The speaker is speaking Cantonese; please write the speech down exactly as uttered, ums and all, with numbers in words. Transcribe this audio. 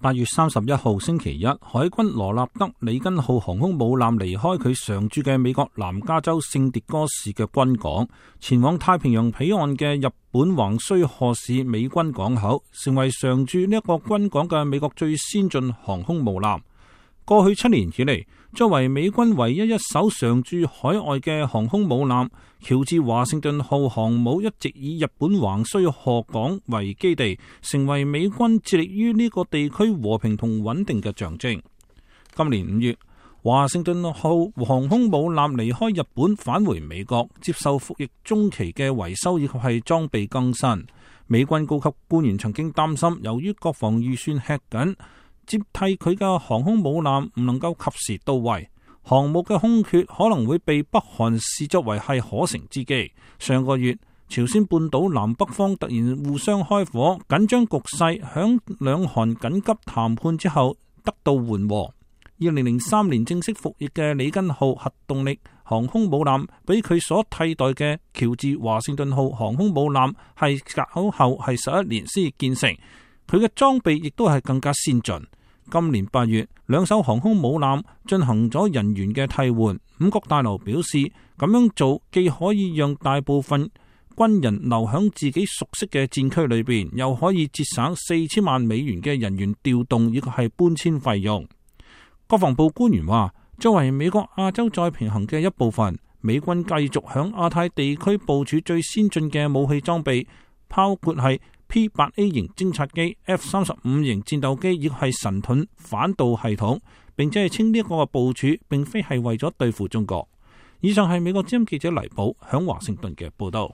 八月三十一號星期一，海軍羅納德里根號航空母艦離開佢常駐嘅美國南加州聖迭戈市嘅軍港，前往太平洋彼岸嘅日本橫須賀市美軍港口，成為常駐呢一個軍港嘅美國最先進航空母艦。過去七年以嚟，作為美軍唯一一艘常駐海外嘅航空母艦，喬治華盛頓號航母一直以日本橫須賀港為基地，成為美軍致力於呢個地區和平同穩定嘅象徵。今年五月，華盛頓號航空母艦離開日本返回美國，接受服役中期嘅維修以及係裝備更新。美軍高級官員曾經擔心，由於國防預算吃緊，接替佢嘅航空母艦唔能夠及時到位，航母嘅空缺可能會被北韓視作為係可乘之機。上個月，朝鮮半島南北方突然互相開火，緊張局勢響兩韓緊急談判之後得到緩和。二零零三年正式服役嘅里根號核動力航空母艦，比佢所替代嘅喬治華盛頓號航空母艦係隔後係十一年先建成，佢嘅裝備亦都係更加先進。今年八月，兩艘航空母艦進行咗人員嘅替換。五角大樓表示，咁樣做既可以讓大部分軍人留響自己熟悉嘅戰區裏邊，又可以節省四千萬美元嘅人員調動以及係搬遷費用。國防部官員話，作為美國亞洲再平衡嘅一部分，美軍繼續響亞太地區部署最先進嘅武器裝備，包括係P 八 A 型偵察機、F 三十五型戰鬥機，亦係神盾反導系統，並且係稱呢一個嘅部署並非係為咗對付中國。以上係美國之音記者黎寶響華盛頓嘅報道。